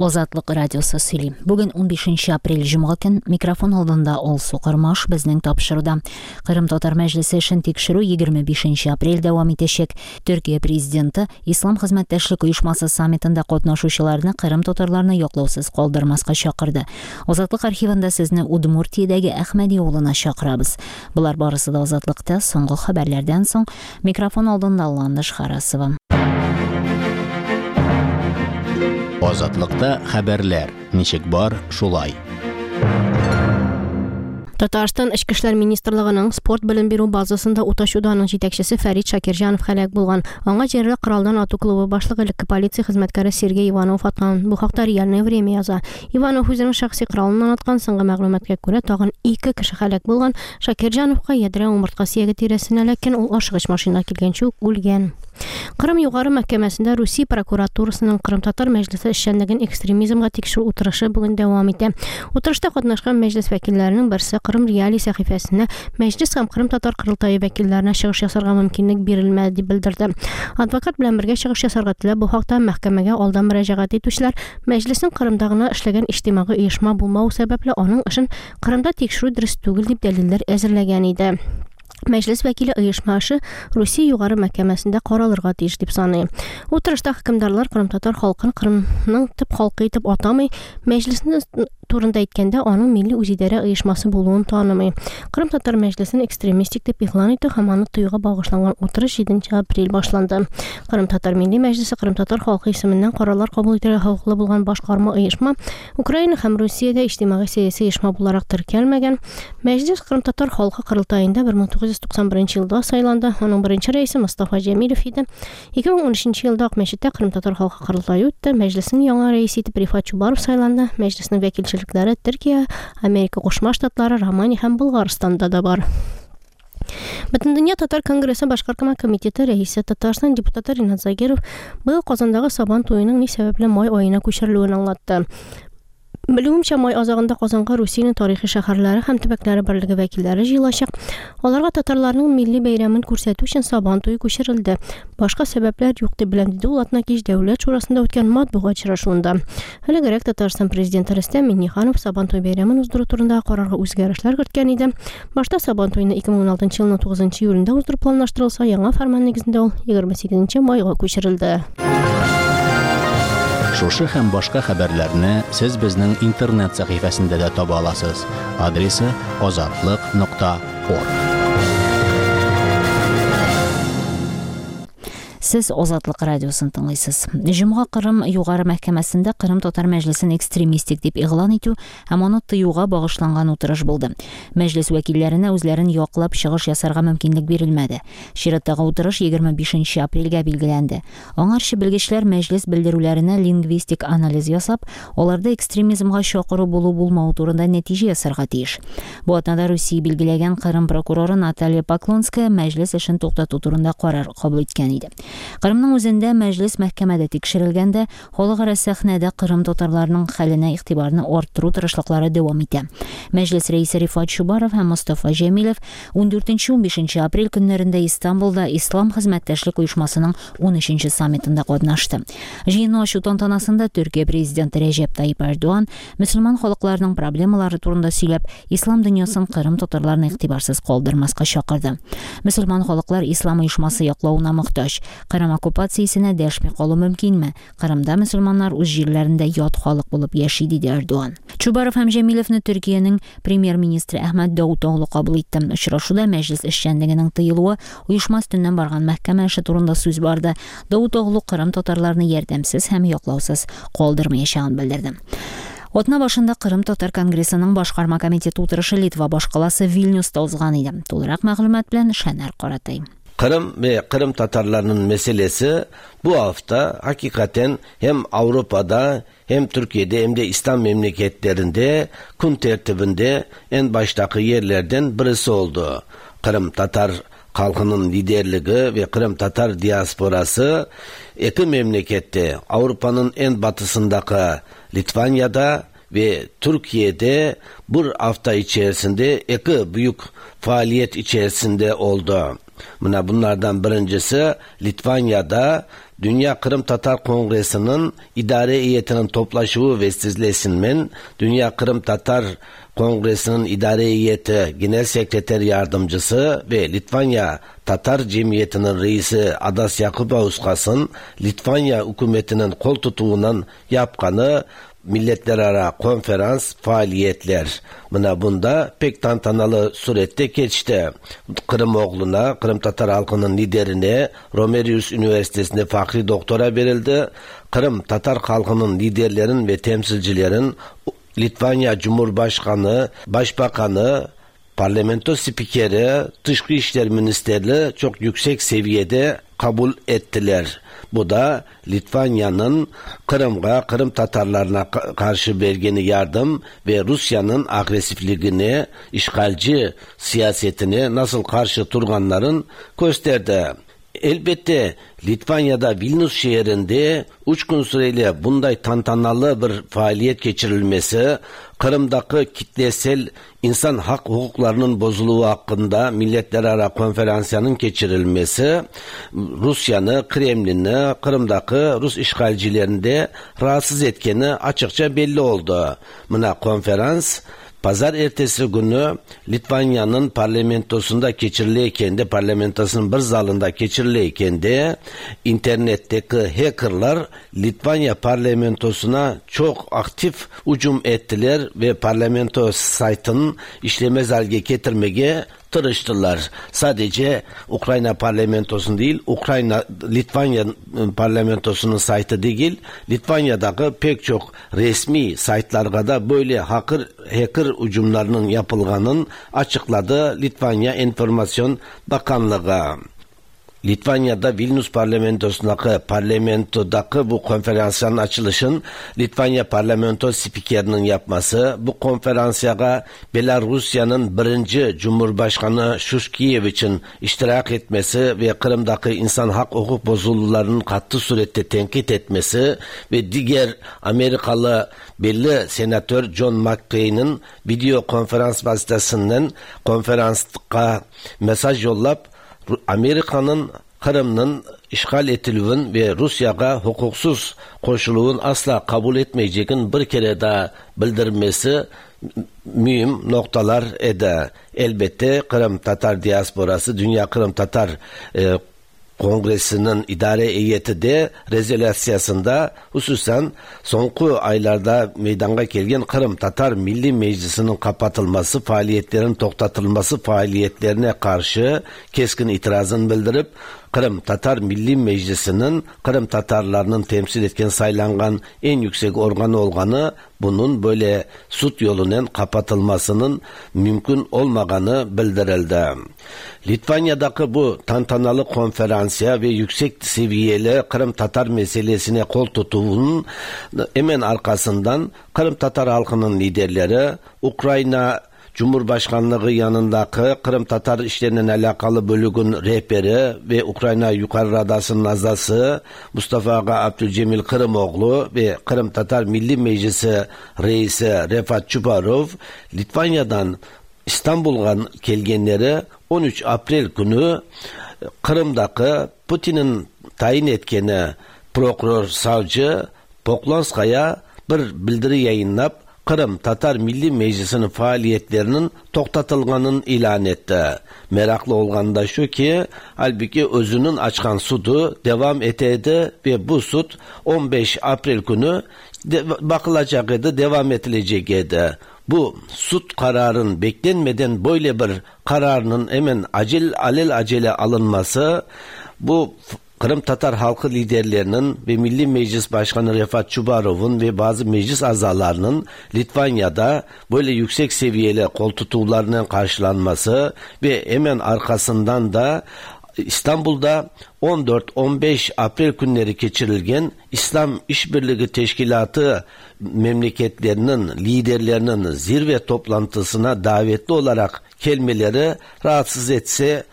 Азатлык радиосы сөйли. Бүген 15 апрель җомга көн, микрофон алдында Алсу Кормаш безнең тапшыруда. Кырым татар мәҗлесе эшен тикшерү 25 апрель дәвам итәчәк. Төркия президенты Ислам хезмәттәшлек оешмасы саммитында катнашучыларны Кырым татарларны яклаусыз калдырмаска чакырды. Азатлык архивында сезне Удмуртиядәге Әхмәди авылына чакырабыз. Болар барысы да Азатлыкта соңгы хәбәрләрдән соң. Микрофон алдында Ландыш Харасова. Азатлыкта хәбәрләр ничек бар, шулай. Татарстан Эчке эшләр министрлыгының спорт белем бирү базасында ут ачуда аның җитәкчесе Фәрит Шакирҗанов һәлак булган. Аңа җирле коралдан ату клубы башлыгы элекке полиция хезмәткәре Сергей Иванов аткан. Бу хакта Реальное время яза. Иванов үзенең шәхси коралыннан аткан. Соңгы мәгълүматка күрә, тагын ике кеше һәлак булган. Шакирҗановка ядрә умыртка сөяге тирәсенә эләккән, ул ашыгыч машина килгәнче үк үлгән. Кырым югары мәхкәмәсендә Русия прокуратурасының Кырымтатар мәҗлесе эшчәнлеген экстремизмга тикшерү утырышы бүген дәвам итә. Утырышта катнашкан мәҗлес вәкилләренең берсе Кырым Реалии сәхифәсенә мәҗлес һәм Кырымтатар корылтае вәкилләренә чыгыш ясарга мөмкинлек бирелмәде дип белдерде. Адвокат белән бергә чыгыш ясарга теләп бу хакта мәхкәмәгә алдан мөрәҗәгать итүчеләр мәҗлеснең Кырымда гына эшләгән иҗтимагый оешма булмавы сәбәпле аның эшен Кырымда тикшерү дөрес түгел дип дәлилләр әзерләгән иде. Мәҗлес вәкиле оешма эше Русия югары мәхкәмәсендә каралырга тиеш дип саный. Утырышта хөкемдарлар кырымтатар халкын Кырымның төп халкы итеп атамый, мәҗлесне турында әйткәндә аның милли үзидарә оешмасы булуын танымый. Кырымтатар мәҗлесен экстремистик дип игълан итү һәм аны тыюга багышланган утырыш 7 апрель башланды. Кырымтатар милли мәҗлесе кырымтатар халкы исеменнән карарлар кабул итәргә хокуклы булган башкарма оешма. Украина һәм Русиядә иҗтимагый-сәяси оешма буларак теркәлмәгән. Мәҗлес кырымтатар халкы корылтаенда 1991 елда сайланды. Аның беренче рәисе Мостафа Җәмилев иде. 2013 елда Акмәчеттә кырымтатар халкы корылтае үтте. Мәҗлеснең яңа рәисе итеп Рифат Чубаров сайланды. Мәҗлеснең вәкилчелекләре Төркия, Америка Кушма Штатлары, Романия һәм Болгарстанда да бар. Бөтендөнья татар конгрессы башкарма комитеты рәисе, Татарстан депутаты Ринат Загиров быел Казандагы Сабан туеның ни сәбәпле май аена күчерелүен аңлатты. Белүемчә, май азагында Казанга Русиянең тарихи шәһәрләре һәм төбәкләре берлеге вәкилләре җыелачак. Аларга татарларның милли бәйрәмен күрсәтү өчен Сабан туе күчерелде. Башка сәбәпләр юк дип беләм, диде ул атнакич Дәүләт шурасында үткән матбугат очрашуында. Элегрәк Татарстан президенты Рөстәм Миңнеханов Сабантуй бәйрәмен уздыру турындагы карарга үзгәрешләр керткән иде. Башта Сабантуйны 2016 елның 9 июлендә уздыру планлаштырылса, яңа фәрман нигезендә ул 28 майга күчерелде. Шушы һәм башка хәбәрләрне сез безнең интернет сәхифәсендә дә таба аласыз. Адресы азатлык.орг. Сез Азатлык радиосын тыңлыйсыз. Җомга Кырым югары мәхкәмәсендә Кырым татар мәҗлесен экстремистик дип игълан итү һәм аны тыюга багышланган утырыш булды. Мәҗлес вәкилләренә үзләрен яклап чыгыш ясарга мөмкинлек бирелмәде. Чираттагы утырыш 25 апрельгә билгеләнде. Аңарчы белгечләр мәҗлес белдерүләренә лингвистик анализ ясап, аларда экстремизмга чакыру булу-булмау турында нәтиҗә ясарга тиеш. Бу атнада Русия билгеләгән Кырым прокуроры Наталья Поклонская мәҗлес эшен туктату турында карар кабул иткән иде. Кырымның үзендә мәҗлес мәхкәмәдә тикшерелгәндә, халыкара сәхнәдә Кырым татарларының хәленә игътибарны арттыру тырышлыклары дәвам итә. Мәҗлес рәисе Рифат Чубаров һәм Мостафа Җәмилев 14-15 апрель көннәрендә Истанбулда Ислам хезмәттәшлек оешмасының 13 саммитында катнашты. Җыенны ачу тантанасында Төркия президенты Рәҗәп Тайип Эрдоган мөселман халыкларының проблемалары турында сөйләп, ислам дөньясын Кырым татарларын игътибарсыз калдырмаска чакырды. Мөселман халыклар ислам оешмасы яклавына мохтаҗ. Кырым оккупациясенә дәшми калу мөмкинме? Кырымда мөселманнар үз җирләрендә ят халык булып яши, диде Эрдоган. Чубаров һәм Җәмилевне Төркиянең премьер-министры Әхмәт Даутоглу кабул итте. Очрашуда мәҗлес эшчәнлегенең тыелуы, оешма өстеннән барган мәхкәмә эше турында сүз барды. Даутоглу Кырым татарларны ярдәмсез һәм яклаусыз калдырмаячагын белдерде. Атна башында Кырым татар конгрессының башкарма комитеты утырышы Литва башкаласы Вильнюста узган иде. Тулырак мәгълүмат белән Шәнәр Каратай. Kırım ve Kırım Tatarlarının meselesi bu hafta hakikaten hem Avrupa'da hem Türkiye'de hem de İslam memleketlerinde kun tertibinde en baştaki yerlerden birisi oldu. Kırım Tatar halkının liderliği ve Kırım Tatar diasporası iki memlekette Avrupa'nın en batısındaki Litvanya'da ve Türkiye'de bu hafta içerisinde iki büyük faaliyet içerisinde oldu. Buna bunlardan birincisi Litvanya'da Dünya Kırım Tatar Kongresi'nin idare heyetinin toplaşuvı vesilesinden Dünya Kırım Tatar Kongresi'nin idare heyeti Genel Sekreter Yardımcısı ve Litvanya Tatar Cemiyeti'nin reisi Adas Yakubauskas,ın Litvanya hükümetinin kol tutuğundan yapqanı milletlerara konferans faaliyetler. Mına bunda pek tantanalı surette geçti. Kırımoğlu'na, Kırım Tatar halkının liderine Romerius Üniversitesi'nde fahri doktora verildi. Kırım Tatar halkının liderlerin ve temsilcilerin Litvanya Cumhurbaşkanı, Başbakanı, Parlamento spikeri, Dışkı İşler Ministerliği çok yüksek seviyede kabul ettiler. Bu da Litvanya'nın Kırım'a, Kırım Tatarlarına karşı vergeni yardım ve Rusya'nın agresifliğini, işgalci siyasetini nasıl karşı turganların gösterdi. Elbette Litvanya'da Vilnius şehrinde 3 gün süreyle bunday tantanalı bir faaliyet geçirilmesi, Kırım'daki kitlesel insan hak hukuklarının bozuluğu hakkında milletlerara konferansyanın geçirilmesi, Rusya'nı, Kremlin'i, Kırım'daki Rus işgalcilerini de rahatsız etkeni açıkça belli oldu. Mına konferans Pazar ertesi günü Litvanya'nın parlamentosunda geçiriliyken de, parlamentosunun bir zalında geçiriliyken de internetteki hackerlar Litvanya parlamentosuna çok aktif hücum ettiler ve parlamento saytının işlemez halge getirmeye tırıştılar. Sadece Ukrayna parlamentosunun değil, Ukrayna Litvanya parlamentosunun saytı değil, Litvanya'daki pek çok resmi saytlarda da böyle hacker hücumlarının yapılganın açıkladı Litvanya Enformasyon Bakanlığı. Litvanya'da Vilnius parlamentodaki bu konferansın açılışın Litvanya parlamento spikerinin yapması, bu konferansaya Belarusya'nın birinci Cumhurbaşkanı Şuşkiyeviç'in iştirak etmesi ve Kırım'daki insan hak hukuk bozulmalarının katı surette tenkit etmesi ve diğer Amerikalı belli senatör John McCain'in video konferans vasıtasından konferanska mesaj yollap Amerika'nın Kırım'ın işgal etilüvün ve Rusya'ya hukuksuz koşuluğun asla kabul etmeyeceğin bir kere daha bildirmesi mühim noktalar edi. Elbette Kırım Tatar diasporası, Dünya Kırım Tatar Kongresi'nin idare heyeti de rezolasyasında hususen sonku aylarda meydana gelgen Kırım Tatar Milli Meclisi'nin kapatılması, faaliyetlerin toktatılması faaliyetlerine karşı keskin itirazını bildirip Kırım Tatar Milli Meclisi'nin Kırım Tatarlarının temsil etken saylangan en yüksek organı olganı bunun böyle sud yolunun kapatılmasının mümkün olmaganı bildirildi. Litvanya'daki bu tantanalı konferansiya ve yüksek seviyeli Kırım Tatar meselesine kol tutuvunun hemen arkasından Kırım Tatar halkının liderleri Ukrayna Cumhurbaşkanlığı yanındaki Kırım Tatar işlerinin alakalı bölüğün rehberi ve Ukrayna Yukarı Radası'nın azası Mustafa Ağa Abdülcemil Kırımoğlu ve Kırım Tatar Milli Meclisi Reisi Refat Çubarov Litvanya'dan İstanbul'a kelgenleri 13 April günü Kırım'daki Putin'in tayin etkeni prokuror savcı Poklonskaya bir bildiri yayınlap Kırım Tatar Milli Meclisi'nin faaliyetlerinin toktatılganın ilan etti. Meraklı olgan da şu ki halbuki özünün açkan sudu devam etedi ve bu sud 15 April günü bakılacak idi, devam edilecek idi. Bu sud kararın beklenmeden böyle bir kararının hemen acil alel acele alınması bu Kırım Tatar halkı liderlerinin ve Milli Meclis Başkanı Refat Çubarov'un ve bazı meclis azalarının Litvanya'da böyle yüksek seviyeli koltuğlarının karşılanması ve hemen arkasından da İstanbul'da 14-15 April günleri geçirilgen İslam İşbirliği Teşkilatı memleketlerinin liderlerinin zirve toplantısına davetli olarak kelimeleri rahatsız etse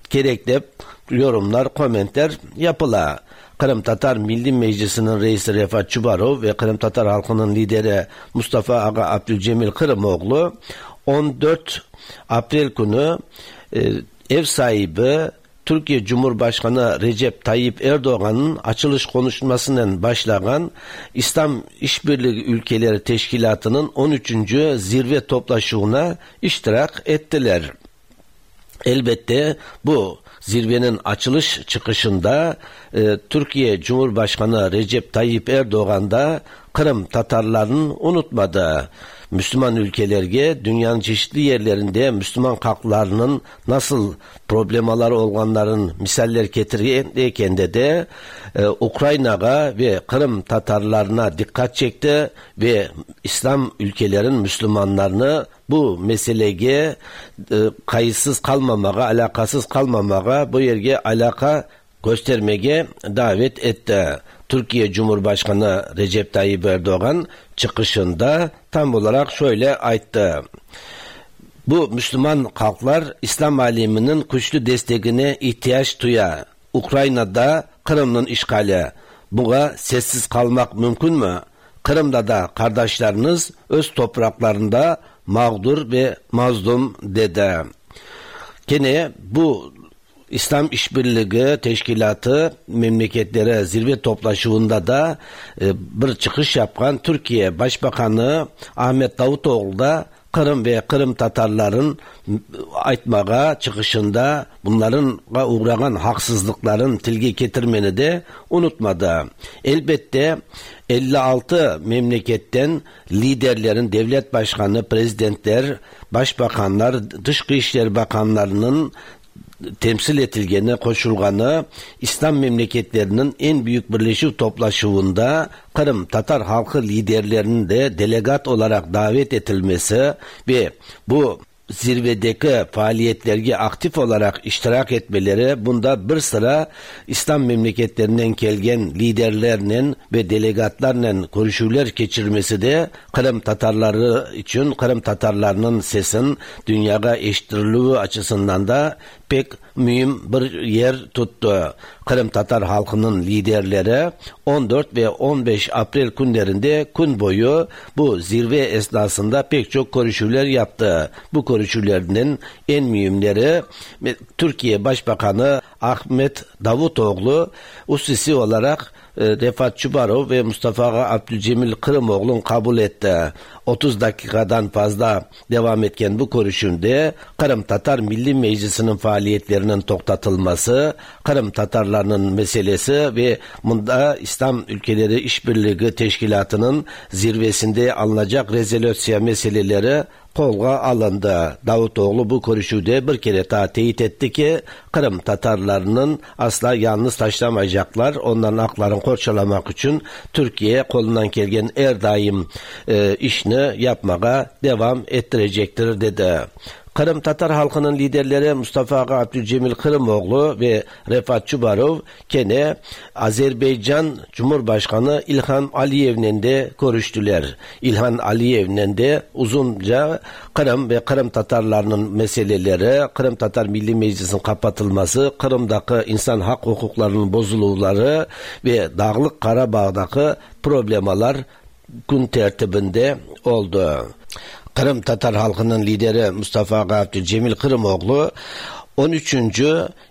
gerekli yorumlar, komentler yapıla. Kırım Tatar Milli Meclisi'nin reisi Refat Çubarov ve Kırım Tatar halkının lideri Mustafa Ağa Abdülcemil Kırımoğlu 14 April günü ev sahibi Türkiye Cumhurbaşkanı Recep Tayyip Erdoğan'ın açılış konuşmasından başlayan İslam İşbirliği Ülkeleri Teşkilatı'nın 13. Zirve toplaşığına iştirak ettiler. Elbette bu zirvenin açılış çıkışında Türkiye Cumhurbaşkanı Recep Tayyip Erdoğan da Kırım Tatarlarını unutmadı. Müslüman ülkelerge dünyanın çeşitli yerlerinde Müslüman halklarının nasıl problemaları olganların misaller getirirken de Ukrayna'ya ve Kırım Tatarlarına dikkat çekti ve İslam ülkelerin Müslümanlarını bu meseleye kayıtsız kalmamağa, alakasız kalmamağa, bu yerge alaka göstermeye davet etti. Türkiye Cumhurbaşkanı Recep Tayyip Erdoğan çıkışında tam olarak şöyle ayttı. Bu Müslüman halklar İslam aleminin güçlü destekine ihtiyaç duya. Ukrayna'da Kırım'ın işgali. Buna sessiz kalmak mümkün mü? Kırım'da da kardeşleriniz öz topraklarında mağdur ve mazlum dedi. Gene bu İslam İşbirliği Teşkilatı memleketlere zirve toplaşığında da bir çıkış yapan Türkiye Başbakanı Ahmet Davutoğlu da Kırım ve Kırım Tatarların aytmağa çıkışında bunların uğrayan haksızlıkların tilge getirmeni de unutmadı. Elbette 56 memleketten liderlerin, devlet başkanı, prezidentler, başbakanlar, dış işler bakanlarının temsil etilgeni, koşulganı İslam memleketlerinin en büyük birleşik toplaşığında Kırım Tatar halkı liderlerinin de delegat olarak davet edilmesi ve bu zirvedeki faaliyetlerge aktif olarak iştirak etmeleri, bunda bir sıra İslam memleketlerinden kelgen liderlerle ve delegatlarla görüşüler geçirmesi de Kırım Tatarları için Kırım Tatarlarının sesin dünyaya eşittiriliği açısından da pek mühim bir yer tuttu. Kırım Tatar halkının liderleri 14 ve 15 April günlerinde gün boyu bu zirve esnasında pek çok görüşüler yaptı. Bu görüşülerinin en mühimleri Türkiye Başbakanı Ahmet Davutoğlu usisi olarak Refat Çubarov ve Mustafa Abdülcemil Kırımoğlu'nun kabul etti. 30 dakikadan fazla devam etken bu görüşümde Kırım Tatar Milli Meclisi'nin faaliyetlerinin toktatılması, Kırım Tatarlarının meselesi ve bunda İslam Ülkeleri İşbirliği Teşkilatı'nın zirvesinde alınacak rezolüsiya meseleleri kolga alındı. Davutoğlu bu görüşüde bir kere daha teyit etti ki Kırım Tatarlarının asla yalnız taşlamayacaklar. Onların haklarını korçalamak için Türkiye kolundan gelen her daim işini yapmaya devam ettirecektir dedi. Kırım Tatar halkının liderleri Mustafa Abdülcemil Kırımoğlu ve Refat Çubarov gene Azerbaycan Cumhurbaşkanı İlham Aliyev'le de görüştüler. İlham Aliyev'le de uzunca Kırım ve Kırım Tatarlarının meseleleri, Kırım Tatar Milli Meclisi'nin kapatılması, Kırım'daki insan hak hukuklarının bozuluvları ve Dağlık Karabağ'daki problemalar gün tertibinde oldu. Kırım Tatar halkının lideri Mustafa Abdülcemil Kırımoğlu 13.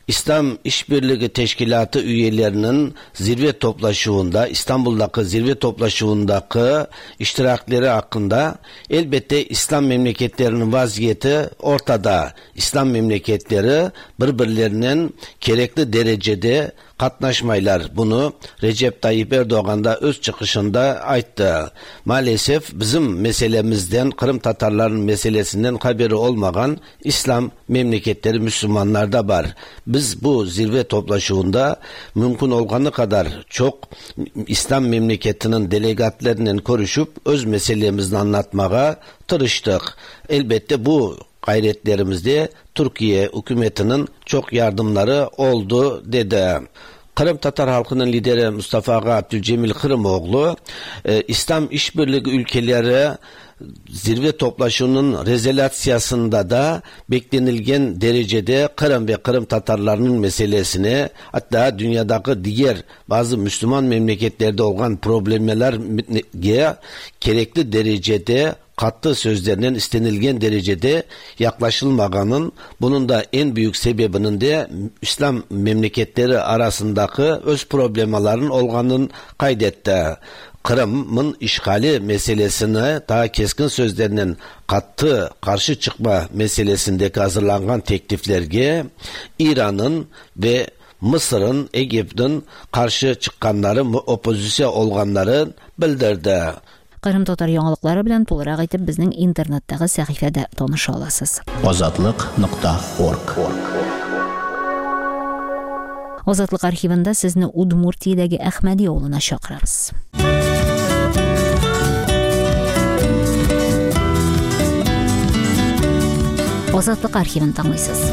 İslam İşbirliği Teşkilatı üyelerinin zirve toplaşığında, İstanbul'daki zirve toplaşığındaki iştirakleri hakkında elbette İslam memleketlerinin vaziyeti ortada. İslam memleketleri birbirlerinin gerekli derecede katnaşmaylar. Bunu Recep Tayyip Erdoğan da öz çıkışında ayttı. Maalesef bizim meselemizden, Kırım Tatarların meselesinden haberi olmayan İslam memleketleri Müslümanlarda var. Biz bu zirve toplaşığında mümkün olganı kadar çok İslam memleketinin delegatlarıyla konuşup öz meselemizi anlatmaya tırıştık. Elbette bu gayretlerimizde Türkiye hükümetinin çok yardımları oldu dedi. Kırım Tatar halkının lideri Mustafa Abdülcemil Kırımoğlu, İslam İşbirliği ülkeleri zirve toplaşığının rezolasyasında da beklenilgen derecede Kırım ve Kırım Tatarlarının meselesini, hatta dünyadaki diğer bazı Müslüman memleketlerde olan problemler gerekli derecede qattı sözlerinen istenilgen derecede yaklaşılmağanın, bunun da en büyük sebebinin de İslam memleketleri arasındaki öz problemaların olğanın kaydetti. Kırım'ın işgali meselesini daha keskin sözlerinin qattı karşı çıkma meselesindeki hazırlanan tekliflerge İran'ın ve Mısır'ın, Egipt'in karşı çıkanları, opozisyon olganları bildirdi. Кырым татар яңалыклары белән тулырак итеп безнең интернеттагы сәхифәдә таныша аласыз. Азатлык.орг. Азатлык архивында сезне Удмуртиядәге Әхмәди авылына чакырабыз. Азатлык архивын тыңлыйсыз.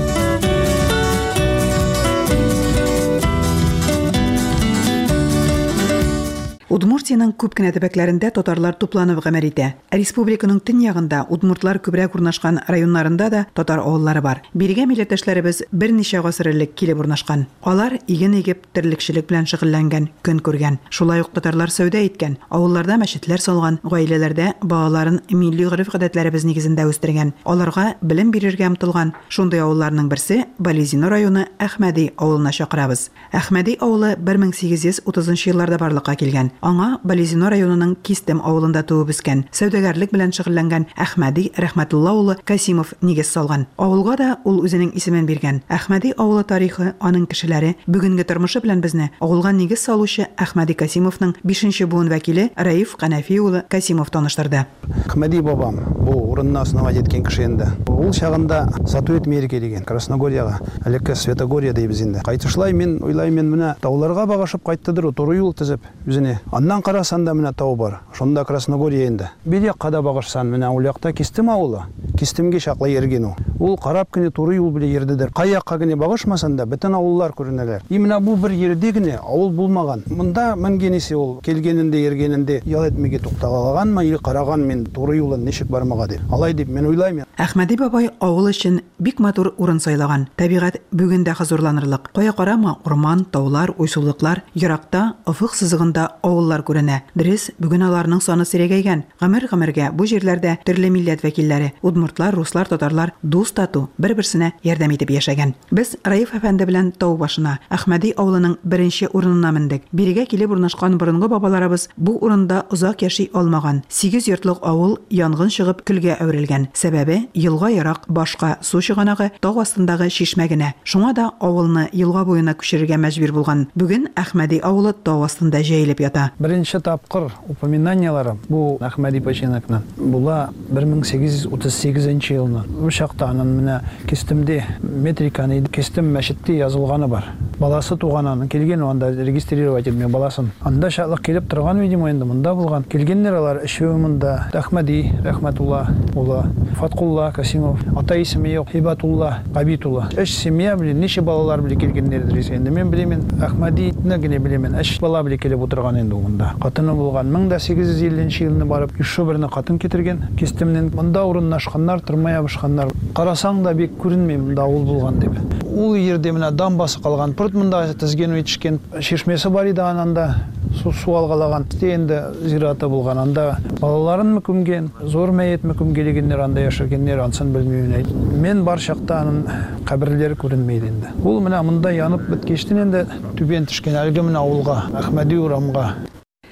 Удмуртиянең күп кенә төбәкләрендә татарлар тупланып гамәл итә. Республиканың төньягында удмуртлар күбрәк урнашкан районнарында да татар авыллары бар. Бирегә милләттәшләребез берничә гасыр элек килеп урнашкан. Алар иген игеп, терлекчелек белән шөгыльләнгән, көн күргән. Шулай ук татарлар сәүдә иткән, авылларда мәчетләр салган, гаиләләрдә балаларын милли гореф-гадәтләребез нигезендә үстергән. Аларга белем бирергә омтылган. Шундый авылларның берсе Балезино районы Әхмәди авылына чакырабыз. Әхмәди авылы 1830 елларда барлыкка килгән. Аңа Балезино районының Кистем авылында туып үскән, сәүдәгәрлек белән шөгыльләнгән Әхмәди Рәхмәтулла улы Касимов нигез салган. Авылга да ул үзенең исемен биргән. Әхмәди авылы тарихы, аның кешеләре, бүгенге тормышы белән безне авылга нигез салучы Әхмәди Касимовның 5нче буын вәкиле Раиф Канәфи улы Касимов таныштырды. Әхмәди бабам бу урынны основать иткән кеше инде. Ул чагында сату итмәергә дигән Красногорьяга, элекке Светогорья дибез инде. Кайтышлай мин уйлайм, менә тауларга багышып кайттыдыр, туры юл төзеп үзенә. Аннан карасан да менә тау бар. Шунда Красногорья инде. Бер якка да багышсан, менә ул якта Кистем авылы. Кистемгә чаклы йөргән ул. Ул карап кенә туры юл белән йөрдедер. Кай якка генә багышмасан да бөтен авыллар күренәләр. И менә бу бер йөрде генә авыл булмаган. Монда менгәнесе ул килгәнендә йөргәнендә ял итмәгә тукталаганмы или караган мин туры юлын ничек бармага дип. Алай дип мин уйлаймын. Әхмәди бабай авыл өчен бик матур урын сайлаган. Табигать бүген дә хозурланырлык. Кая карама урман, таулар, уйсулыклар, еракта, офык сызыгында авыллар күренә. Дөрес, бүген аларның саны сирәгәйгән. Гомер-гомергә бу җирләрдә төрле милләт вәкилләре, удмуртлар, руслар, татарлар дус тату, бер-берсенә ярдәм итеп яшәгән. Без Раиф әфәнде белән тау башына, Әхмәди авылының беренче урынына мендек. Бирегә килеп урнашкан борынгы бабаларыбыз бу урында озак яши алмаган. 8 йортлык авыл янгын чыгып көлгә әверелгән. Сәбәбе елга ярак, башка су чыганагы тау астындагы чишмә генә. Шуңа да авылны елга буена күчерергә мәҗбүр булган. Бүген Әхмәди авылы тау астында җәелеп ята. Беренче тапкыр упоминаниялары бу Әхмәди починокны була 1838 елны. Бу чакта анын менә Кистемдә метриканы Кистем мәчеттә язылганы бар. Баласы туган анын килгән, анда регистрировать итмә баласын. Анда шатлык килеп торган, видимо, инде монда булган. Килгәннәр алар өчәү монда. Әхмәди Рәхмәтулла улы, Фаткулла Касимов, ата исеме юк, Һибатулла Габитулла. Өч семья белән ничә балалар белән килгәннәрдер инде. Мин беләмен, Әхмәдине генә беләмен. Өч бала белән килеп утырган инде монда. Хатыны булган 1850 елны барып, еще берне хатын китергән. Кистемнән монда урынлашканнар, тормай ябышканнар. Карасаң да бик күренми монда авыл булган дип. Ул җирдә менә дамбасы калган. Пырт монда тезген итешкән чишмәсе бар иде ананда. Су алгалаган. Инде зираты булган. Анда балаларын күмгән, зур мәетме күмгәлегеннәр, анда яшәгәннәр, ансын белмим. Мен бар чакта анын каберләре күренмәй инде. Ул менә монда янып беткәчтен инде түбән төшкән әлге менә авылга, Әхмәди урамга.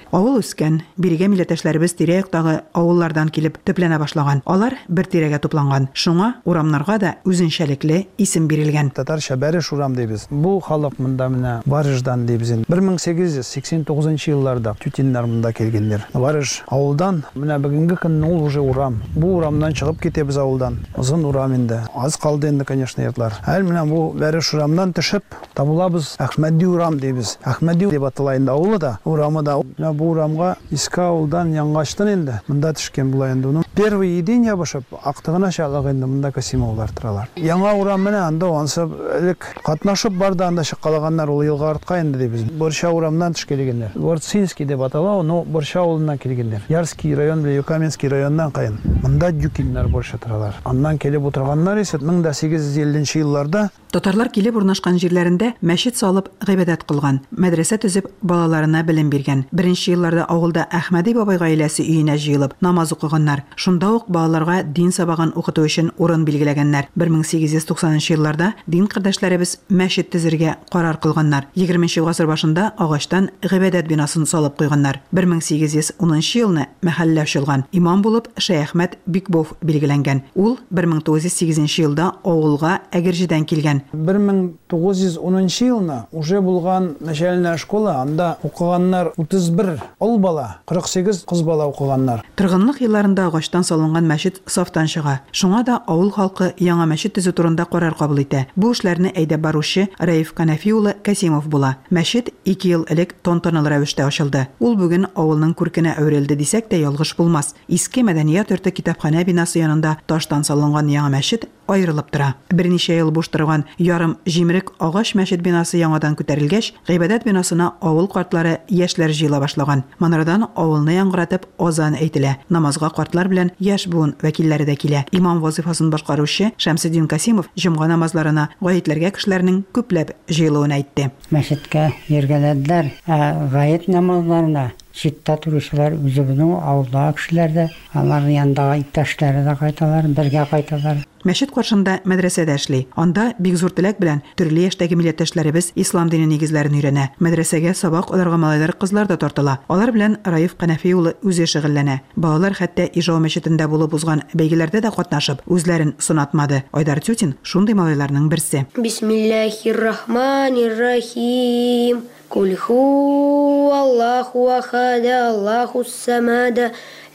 Авыл үскән, бирегә милләттәшләребез тирә-яктагы авыллардан килеп төпләнә башлаган. Алар бер тирәгә тупланган. Шуңа урамнарга да үзенчәлекле исем бирелгән. Татарча Бәреш урам дибез. Бу халык монда менә Барыждан дибез инде. 1889 елларда тютиннар монда килгәннәр. Барыш авылдан менә бүгенге көнне ул уже урам. Бу урамнан чыгып китәбез авылдан. Озын урам инде. Аз калды инде, конечно, йортлар. Әле менә бу Бәреш урамнан төшеп табылабыз Әхмәди урам дибез. Әхмәди дип атала инде авылы да, урамы да. Менә бу урамга иске авылдан яңачтан инде монда төшкән була инде. Уның первый день ябышып, актыгына чаклык инде монда Касимовлар торалар. Яңа урам менә анда ансы элек катнашып барды, анда чыккалаганнар ул елга артка инде дибез. Борча урамнан төшкәлегеннәр. Борцинский дип атала, но Борча авылыннан килгәннәр. Ярский район белән Юкаменский районнан кайын. Монда Дюкиннар борча торалар. Аннан килеп утырганнар исә 1850 елларда. Татарлар килеп урнашкан җирләрендә мәчет салып гыйбадәт кылган, мәдрәсә төзеп балаларына белем биргән. Беренче Егерменче елларда авылда Әхмәди бабай гаиләсе өенә җыелып, намаз укыганнар. Шунда ук балаларга дин сабагын укыту өчен урын билгеләгәннәр. 1890 нчы елларда дин кардәшләребез мәчет төзергә карар кылганнар. Егерменче гасыр башында агачтан гыйбадәт бинасын салып куйганнар. 1810 нчы елны мәхәллә ачылган. Имам булып Шәяхмәт Бикбов билгеләнгән. Ул 1908 нче елда авылга Әгерҗедән килгән. 1910 нчы елны уже булган начальная школа, анда укыганнар 31 ул бала, 48 кыз бала укыганнар. Торгынлык елларында агачтан салынган мәчет сафтан чыга. Шуңа да авыл халкы яңа мәчет төзү турында карар кабул итә. Бу эшләрне әйдәп баручы Рәиф Канәфи улы Касимов була. Мәчет ике ел элек тантаналы рәвештә ачылды. Ул бүген авылның күркенә әверелде дисәк тә ялгыш булмас. Иске мәдәният йорты китапханә бинасы янында таштан салынган яңа мәчет аерылып тора. Берничә ел буш торган ярым җимерек агач мәчет бинасы яңадан күтәрелгәч, гыйбадәт бинасына авыл картлары, яшьләр җыела башлаган. Манарадан авылны яңгыратып азан әйтелә. Намазга картлар белән яшь буын вәкилләре дә килә. Имам вазыйфасын башкаручы Шәмсетдин Касимов җомга намазларына гаетләргә кешеләрнең күпләп җыелуын әйтте. Мәчеткә йөргәләделәр, ә гает намазларына читтә торучылар, үзебезнең авылдагы кешеләр дә, аларның янындагы иптәшләре дә кайталар, бергә кайталар. Мәчет каршында мәдрәсә дә эшли. Анда бик зур теләк белән төрле яшьтәге милләттәшләребез ислам дине нигезләрен өйрәнә. Мәдрәсәгә сабак алырга малайлар-кызлар да тартыла. Алар белән Раиф Канәфи улы үзе шөгыльләнә. Балалар хәтта Ижау мәчетендә булып узган бәйгеләрдә дә катнашып, үзләрен сынатмады. Айдар Тютин, шундый малайларның берсе. Бисмиллаһир-рахманир-рахим. Куль һууаллаһу ахад, Аллаһус самад,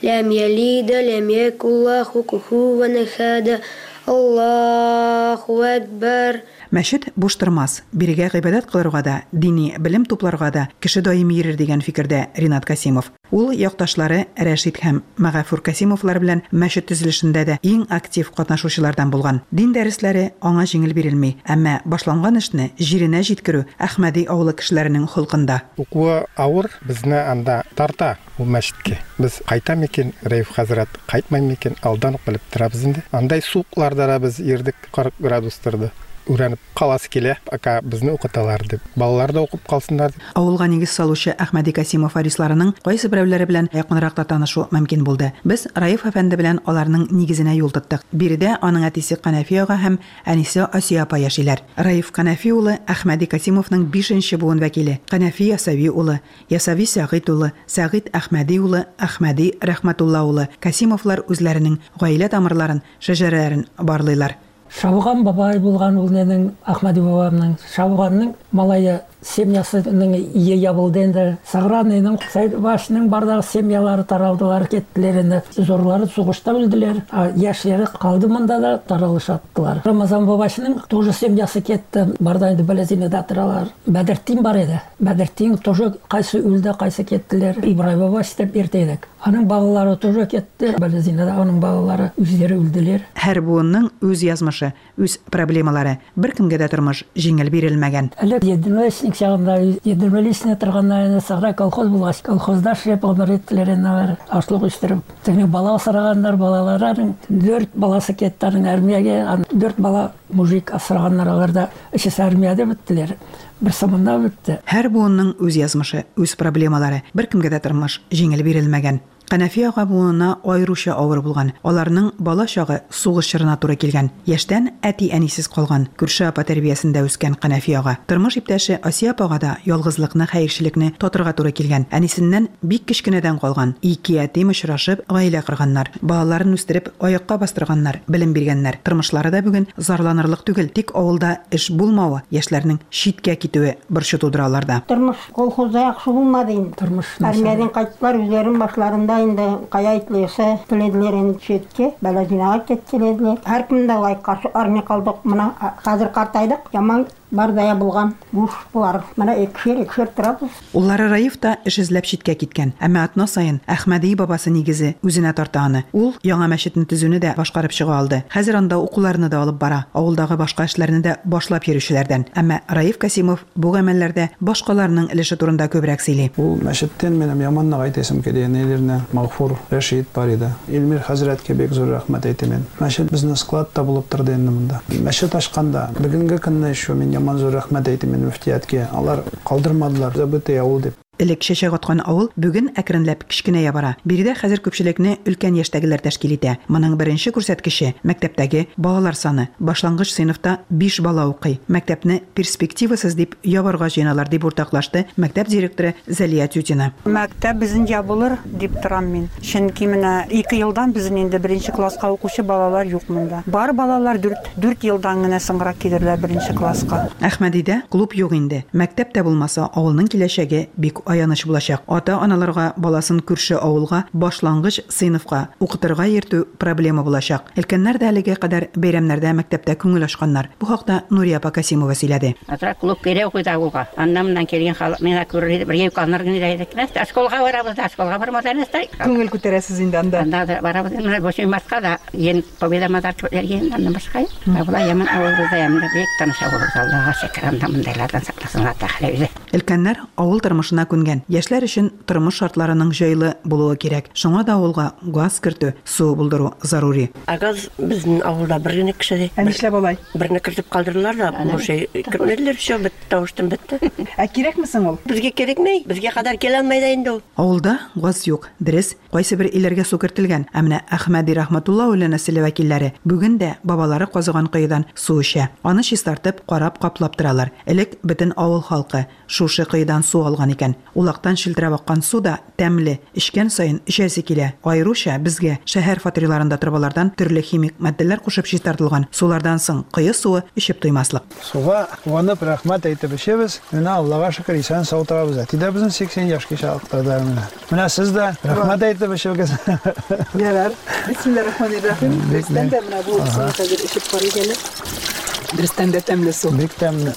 ләм ялид, ләм якул лаһу куфуван ахад, Аллаһу әкбәр. Мәчет буш тормас, бирегә гыйбадәт кылырга да, дини белем тупларга да кеше даими йөрер дигән фикердә Ринат Касимов. Ул якташлары Рәшит һәм Мәгафур Касимовлар белән мәчет төзелешендә дә иң актив катнашучылардан булган. Дин дәресләре аңа җиңел бирелми, әмма башланган эшне җиренә җиткерү Әхмәди авылы кешеләренең холкында. Укуы авыр, безне анда тарта ул мәчеткә. Без кайта микән, Рәиф хәзрәт, кайтмый микән, алдан ук белеп торабыз инде. Андай суыкларда да без йөрдек, 40 градус торды. Өйрәнеп каласы килә, пока безне укыталар дип. Балалар да укып калсыннар дип. Авылга нигез салучы Әхмәди Касимов варисларының кайсыберәүләре белән якынрак та танышу мөмкин булды. Без Раиф әфәнде белән аларның нигезенә юл тоттык. Биредә аның әтисе Канәфи ага һәм әнисе Асия апа яшиләр. Раиф Канәфи улы Әхмәди Касимовның бишенче буын вәкиле, Канәфи Ясәви улы, Ясәви Сәгыйть улы, Сәгыйть Әхмәди улы, Әхмәди Рәхмәтулла улы Касимовлар үзләренең гаилә тамырларын, шәҗәрәләрен барлыйлар. Шабуган бабай булган ул ненең, Әхмәди бабамның. Шабуганның малае семьясының ие ябылды инде. Саграныйның, Сәйдбашның бардагы семьялары таралдылар, кеттеләр инде. Зурлары сугышта үлделәр, ә яшьләре калды монда да таралышаттылар. Рамазан бабашның тоже семьясы кетте, барда инде Балезинада торалар. Бәдертдин бар иде. Бәдертдин тоже кайсы үлде, кайсы кеттеләр. Ибрай бабаш дип йөртә идек. Аның балалары тоже кетте. Балезинада аның балалары үзләре үлделәр. Һәр буынның үз язмышы, үз проблемалары. Беркемгә дә тормыш җиңел бирелмәгән. Элек единоличник чагында, единоличный торганда инде сахра колхоз булгач, колхозда эшләп гомер иттеләр инде алар, ашлык үстереп. Тегенең бала асраганнар, балалары аның дүрт баласы кетте аның армиягә, дүрт бала мужик асраганнар, алар да өчесе армиядә беттеләр. Берсе монда бетте. Һәр буынның үз язмышы, үз проблемалары. Беркемгә дә тормыш җиңел бирелмәгән. Канәфи ага буынына аеруча авыр булган. Аларның бала чагы сугыш чорына туры килгән. Яшьтән әти-әнисез калган, күрше апа тәрбиясендә үскән Канәфи ага. Тормыш иптәше Асия апага да ялгызлыкны, хәерчелекне татырга туры килгән. Әнисеннән бик кечкенәдән калган. Ике ятим очрашып, гаилә корганнар. Балаларын үстереп, аякка бастырганнар, белем биргәннәр. Тормышлары да бүген зарланырлык түгел, тик авылда эш булмавы, яшьләрнең читкә китүе борчу тудыра аларда. Тормыш колхозда яхшы булмады инде. Тормыш начар. Армиядән кайттылар, үзләренең башларында инде кая итлесе теләделәр инде читкә, Балазинага киттеләделәр. Һәркем дә лайк каршы армия калдык. Менә хәзер картайдык, яман бардая булган буш болар. Менә икешәр-икешәр торабыз. Уллары Раиф та эш эзләп читкә киткән. Әмма атна саен Әхмәди бабасы нигезе үзенә тарта аны. Ул яңа мәчетне төзүне дә башкарып чыга алды. Хәзер анда укуларны да алып бара, авылдагы башка эшләрне дә башлап йөрүчеләрдән. Әмма Раиф Касимов бу гамәлләрдә башкаларның өлеше турында күбрәк сөйли. Ул мәчеттән минем яман нык әйтәсем килә, ниләрне, Мәгъфур, Рәшит бар иде. Илмир хәзрәткә бик зур рәхмәт әйтәм мин. Мәчет безнең склад та булып торды инде монда. Мәчет ачканда, бүгенге көнне еще мин яман зур рәхмәт әйтәм мин мөфтияткә. Алар калдырмадылар, забытый авыл дип. Элек чәчәк аткан авыл бүген әкренләп кечкенәя бара. Биредә хәзер күпчелекне өлкән яшьтәгеләр тәшкил итә. Моның беренче күрсәткече, мәктәптәге балалар саны. Башлангыч сыйныфта биш бала укый. Мәктәпне перспективасыз дип ябарга җыеналар, дип уртаклашты мәктәп директоры Зәлия Тютина. Мәктәп безнең ябылыр дип торам мин. Чөнки менә ике елдан безнең инде беренче класска укучы балалар юк монда. Бар балалар дүрт, дүрт елдан генә соңрак килерләр беренче класска. Әхмәдидә клуб юк инде. Мәктәп тә булмаса, авылның киләчәге бик аяныч булачак. Ата-аналарга баласын күрше авылга башлангыч сыйныфка укытырга йөртү проблема булачак. Өлкәннәр дә әлегә кадәр бәйрәмнәрдә мәктәптә күңел ачканнар. Бу хакта Нурия апа Касимова сөйләде. Азрак клуб кирәк куйды авылга. Аннан-моннан килгән халык миңа күрер иде, бергә юканыр гына идек. Нәрсә, школга барабыз да, школга бармаса нәрсә? Күңел күтәрәсез инде анда. Анда да барабыз. Менә бу Мартка да ен Победа мазар кебекләр ен, аннан башка юк. Ә болай яман авылыбызда яман бик тыныч авылыбыз, Аллага шөкер, анда мондайлардан сакласын Алла Тәгалә үзе. Өлкәннәр авыл тормышына күнгән. Яшьләр өчен тормыш шартларының җайлы булуы кирәк. Шуңа да авылга газ кертү, су булдыру зарури. Ә газ безнең авылда бер генә кеше ди. Ә нишләп алай? Берне кертеп калдырдылар да, больше кертмәделәр, всё, бетте, тавыш-тын бетте. Ә кирәкме соң ул? Безгә кирәкми, безгә кадәр килә алмый да инде ул. Авылда газ юк. Дөрес, кайсыбер өйләргә су кертелгән, ә менә Әхмәди Рәхмәтулла улы нәселе вәкилләре бүген дә бабалары казыган коедан су эчә. Аны чистартып, карап, каплап торалар. Элек бөтен авыл халкы шушы коедан су алган икән. Улактан челтерәп аккан су да тәмле, эчкән саен эчәсе килә. Аеруча безгә, шәһәр фатирларында торбалардан төрле химик матдәләр кушып чистартылган сулардан соң кое суы эчеп туймаслык. Суга куанып, рәхмәт әйтеп эчәбез. Менә Аллага шөкер, исән-сау торабыз. Әти дә безнең 80 яшькә чыктырды әле менә. Менә сез дә рәхмәт әйтеп эчегез. Ярар. Бисмиллаһир-рахманир-рахим. Дөрестән дә менә бу суны хәзер эчеп карыйк әле. Дөрестән дә тәмле су. Бик тәмле.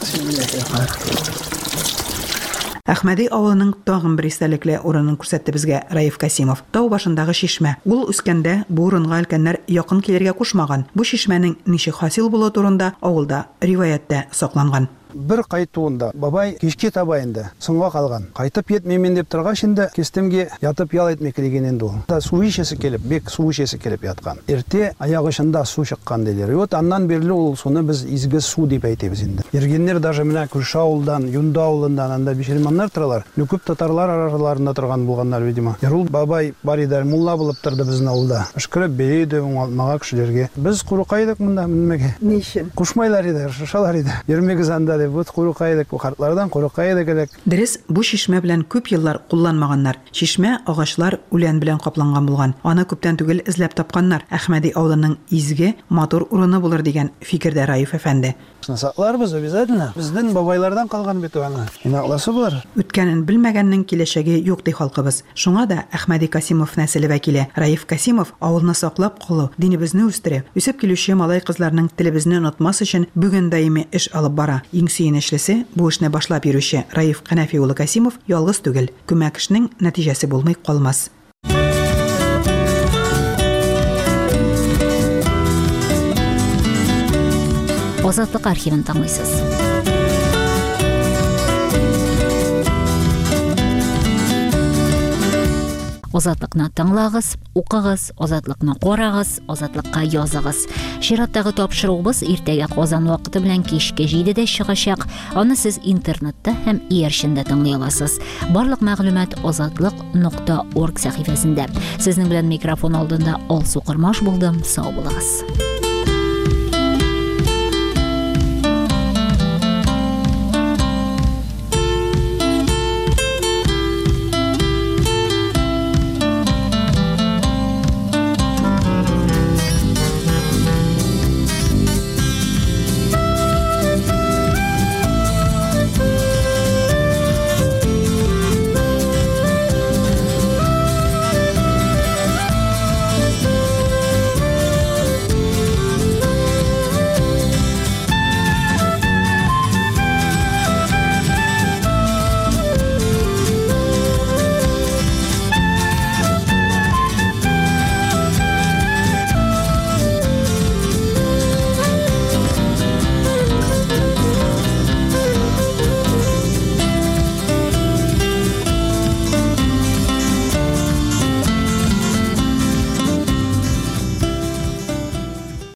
Әхмәди авылының тагын бер истәлекле урынын күрсәтте безгә Раиф Касимов. Тау башындагы чишмә. Ул үскәндә бу урынга өлкәннәр якын килергә кушмаган. Бу чишмәнең ничек хасил булуы турында авылда риваять тә сакланган. Бер кайтуында бабай кичке таба инде, соңга калган. Кайтып йитмим мин дип торгач инде, кистемге ятып ял итмик диген инде ул. Да су эчәсе килеп, бик су эчәсе килеп яткан. Иртә аяк очында су чыккан диләр. И вот аннан бирле ул суны без изге су дип әйтәбез инде. Йөргәннәр даже менә күрше авылдан, Юнды авылыннан, анда бишерманнар торалар. Ну күп татарлар араларында торган булганнар, видимо. Ярул бабай бар иде, мулла булып торды безнең авылда. Өшкереп бии иде уңалтмага кешеләргә. Без курка идек монда менмәгә. Ни өчен? Кушмайлар иде, шашалар иде. Йөрмигез анда дип, вот курка идек, бу картлардан курка идек элек. Дөрес, бу чишмә белән күп еллар кулланмаганнар. Чишмә агачлар, үлән белән капланган булган. Аны күптән түгел эзләп тапканнар. Әхмәди авылының изге, матур урыны булыр дигән фикердә Раиф әфәнде. Шуны сакларбыз обязательно. Безнен бабайлардан калган бит ул аны. Инакласы булыр. Үткәнен белмәгәннең киләчәге юк, ди халкыбыз. Шуңа да Әхмәди Касимов нәселе вәкиле Раиф Касимов авылны саклап калу, динебезне үстерү, үсеп килүче малай-кызларның телебезне онытмас өчен бүген даими эш алып бара. Иң сөенечлесе, бу эшне башлап йөрүче Раиф Канәфи улы Касимов ялгыз түгел. Күмәк эшнең нәтиҗәсе булмый калмас. Азатлык архивын тыңлыйсыз. Азатлыкны тыңлагыз, укыгыз, Азатлыкны карагыз, Азатлыкка языгыз. Чираттагы тапшыруыбыз иртәгә Казан вакыты белән кичке 7-дә чыгачак. Аны сез интернетта һәм иярчендә тыңлый аласыз. Барлык мәгълүмат азатлык.орг сәхифәсендә. Сезнең белән микрофон алдында Алсу Кормаш булдым. Сау булыгыз.